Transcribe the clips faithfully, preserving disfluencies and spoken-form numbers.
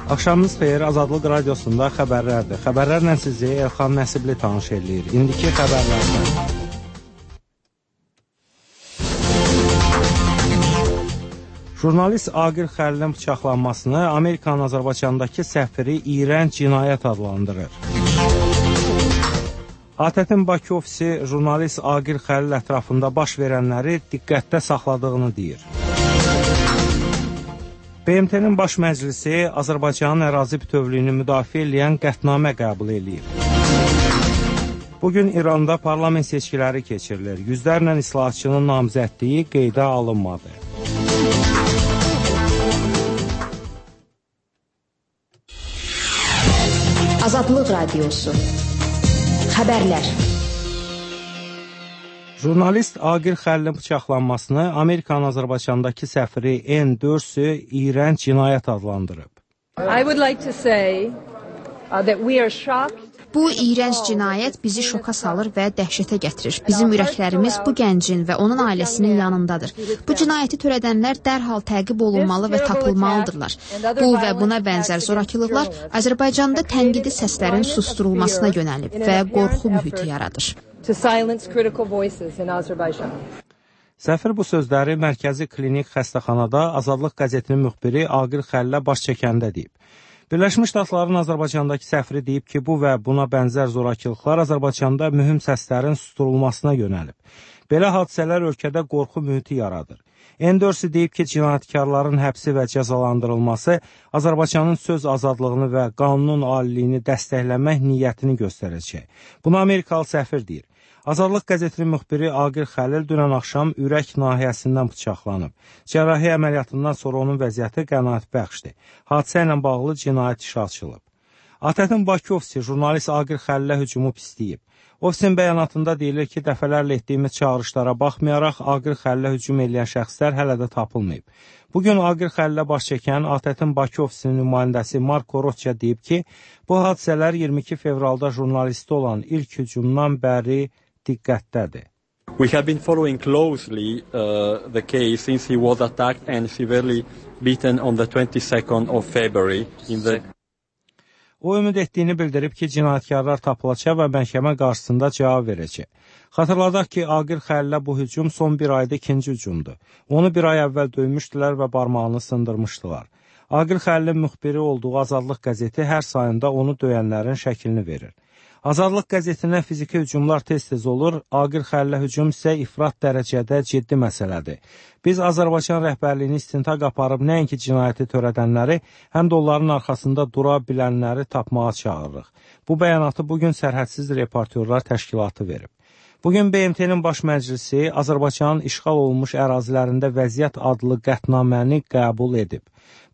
Axşamınız xeyir, Azadlıq Radiosunda xəbərlərdir. Xəbərlərlə sizi Elxan Nəsibli tanış eləyir. İndiki xəbərlərdən. Jurnalist Aqil Xəlilin bıçaqlanmasını Amerikanın Azərbaycandakı səfiri iyrənc cinayət adlandırır. A T T-in Bakı ofisi jurnalist Aqil Xəlil ətrafında baş verənləri diqqətdə saxladığını deyir. B M T-nin Baş Məclisi Azərbaycanın ərazi bütövlüyünü müdafiə edən qətnamə qəbul edib. Bugün İranda parlament seçkiləri keçirilir. Yüzlərlə islahatçının namizədliyi qeydə alınmadı. Azadlıq Radiosu. Xəbərlər. Jurnalist Aqil Xəlilin bıçaqlanmasını Amerikanın Azərbaycandakı səfiri N dördü iyrənc cinayət adlandırıb. I would like to say uh, that we are shocked. Bu iyrənc cinayət bizi şoka salır və dəhşətə gətirir. Bizim ürəklərimiz bu gəncin və onun ailəsinin yanındadır. Bu cinayəti törədənlər dərhal təqib olunmalı və tapılmalıdırlar. Bu və buna bənzər zorakılıqlar Azərbaycanda tənqidi səslərin susturulmasına yönəlib və qorxu mühiti yaradır. Səfir bu sözləri Mərkəzi Klinik Xəstəxanada Azadlıq qəzetinin müxbiri Aqil Xəlilə baş çəkəndə deyib. Birləşmiş Ştatların Azərbaycandakı səfiri deyib ki, bu və buna bənzər zorakılıqlar Azərbaycanda mühüm səslərin susturulmasına yönəlib. Belə hadisələr ölkədə qorxu mühiti yaradır. N dördü deyib ki, cinayətkarların həbsi və cəzalandırılması Azərbaycanın söz azadlığını və qanunun aliliyini dəstəkləmək niyyətini göstərəcək. Bunu Amerikalı səfir deyir. Azadlıq qəzetinin müxbiri Aqil Xəlil dünən axşam ürək nahiyəsindən bıçaqlanıb. Cərrahi əməliyyatından sonra onun vəziyyəti qənaətbəxşdir. Hadisə ilə bağlı cinayət işi açılıb. A T T-in Bakı ofisi jurnalist Aqil Xəlilə hücumu pisləyib. Ofisin bəyanatında deyilir ki, dəfələrlə etdiyimiz çağırışlara baxmayaraq Aqil Xəlilə hücum edən şəxslər hələ də tapılmayıb. Bugün Aqil Xəlilə baş çəkən A T T-in Bakı ofisinin nümayəndəsi Marko Roçya deyib ki, bu hadisələr iyirmi iki fevralda jurnalisti olan ilk hücumdan bəri diqqətdədir. We have been following closely uh, the case since he was attacked and severely beaten on the twenty-second of February in the O ümid etdiyini bildirib ki, cinayətkarlar tapılacaq və məhkəmə qarşısında cavab verəcək. Xatırladaq ki, Aqil Xəlilə bu hücum son bir ayda ikinci hücumdur. Onu bir ay əvvəl döymüşdülər və barmağını sındırmışdılar. Aqil Xəlilin müxbiri olduğu Azadlıq qəzeti hər sayında onu döyənlərin şəklini verir. Azadlıq qəzetinə fiziki hücumlar tez-tez olur, Aqil Xəlilə hücum isə ifrat dərəcədə ciddi məsələdir. Biz Azərbaycan rəhbərliyini istintaq aparıb nəinki cinayəti törədənləri, həm də onların arxasında dura bilənləri tapmağa çağırırıq. Bu bəyanatı bugün Sərhədsiz Reportyorlar Təşkilatı verib. Bugün B M T-nin Baş Məclisi Azərbaycanın işğal olunmuş ərazilərində vəziyyət adlı qətnaməni qəbul edib.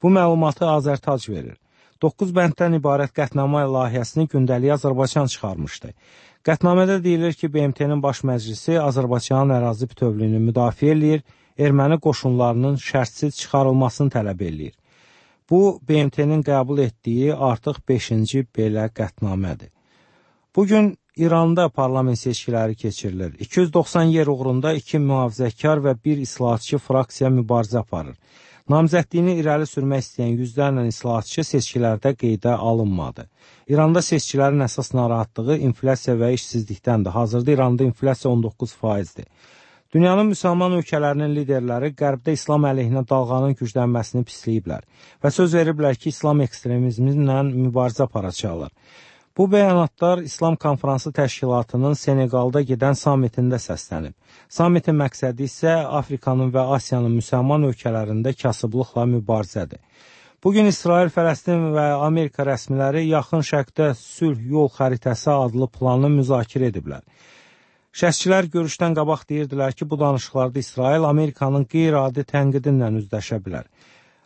Bu məlumatı Azərtac verir. doqquz bənddən ibarət qətnamə layihəsini gündəlik Azərbaycan çıxarmışdı. Qətnamədə deyilir ki, B M T-nin Baş Məclisi Azərbaycanın ərazi bütövlüyünü müdafiə eləyir, erməni qoşunlarının şərtsiz çıxarılmasını tələb eləyir. Bu, B M T-nin qəbul etdiyi artıq beşinci belə qətnamədir. Bugün İranda parlament seçkiləri keçirilir. iki yüz doxsan yer uğrunda iki mühafizəkar və bir islahatçı fraksiya mübarizə aparır. Namizədliyini irəli sürmək istəyən yüzlərlə islahatçı seçkilərdə qeydə alınmadı. İranda seçkilərin əsas narahatlığı inflyasiya və işsizlikdəndir. Hazırda İranda inflyasiya on doqquz faizdir. Dünyanın müsəlman ölkələrinin liderləri Qərbdə İslam əleyhinə dalğanın güclənməsini pisləyiblər və söz veriblər ki, İslam ekstremizmlə mübarizə aparacaqlar. Bu bəyanatlar İslam Konfransı Təşkilatının Seneqalda gedən samitində səslənib. Samitin məqsədi isə Afrikanın və Asiyanın müsəlman ölkələrində kasıblıqla mübarizədir. Bugün İsrail, Fələstin və Amerika rəsmiləri Yaxın Şərqdə sülh yol xəritəsi adlı planı müzakirə ediblər. Şəxsçilər görüşdən qabaq deyirdilər ki, bu danışıqlarda İsrail Amerikanın qeyri-adi tənqidinlə üzləşə bilər.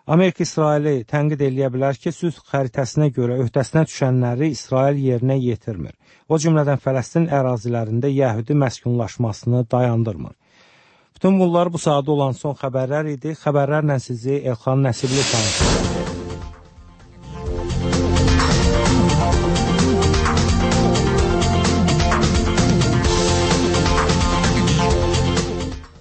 Amerika İsraili tənqid eləyə bilər ki, sülh xəritəsinə görə öhdəsinə düşənləri İsrail yerinə yetirmir. O cümlədən Fələstin ərazilərində yəhudi məskunlaşmasını dayandırmır. Bütün bunlar bu saatda olan son xəbərlər idi. Xəbərlərlə sizi Elxan Nəsibli tanışdırır.